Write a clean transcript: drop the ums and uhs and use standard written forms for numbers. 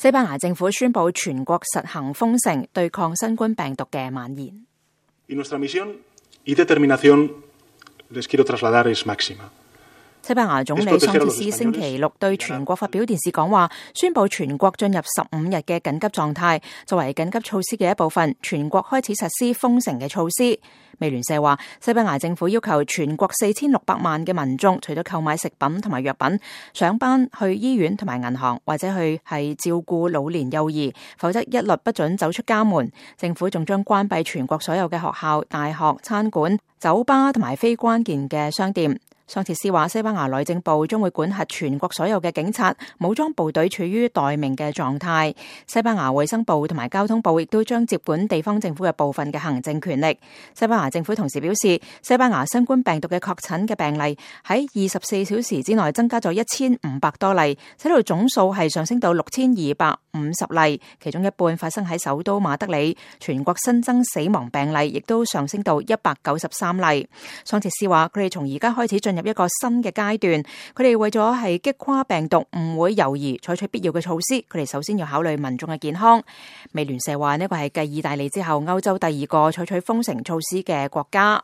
西班牙政府宣布全國實行封城，對抗新冠病毒嘅蔓延。西班牙總理桑切斯星期六對全國發表電視講話，宣布全國進入15日嘅緊急狀態。作為緊急措施嘅一部分，全國開始實施封城嘅措施。美聯社話，西班牙政府要求全國4600萬嘅民眾，除咗購買食品同埋藥品、上班、去醫院同埋銀行，或者去係照顧老年幼兒，否則一律不准走出家門。政府仲將關閉全國所有嘅學校、大學、餐館、酒吧同埋非關鍵嘅商店。桑切斯話，西班牙內政部將會管轄全國所有嘅警察、武裝部隊處於待命嘅狀態。西班牙衛生部同埋交通部亦都將接管地方政府嘅部分嘅行政權力。西班牙政府同時表示，西班牙新冠病毒嘅確診嘅病例喺24小時之內增加咗1500多例，使到總數係上升到6250例，其中一半發生喺首都馬德里。全國新增死亡病例亦都上升到193例。桑切斯話，佢哋從而家開始進入一個新嘅階段，佢哋為咗係擊垮病毒，唔會猶豫採取必要嘅措施。佢哋首先要考慮民眾嘅健康。美聯社話，呢個係繼意大利之後歐洲第2個採取封城措施嘅國家。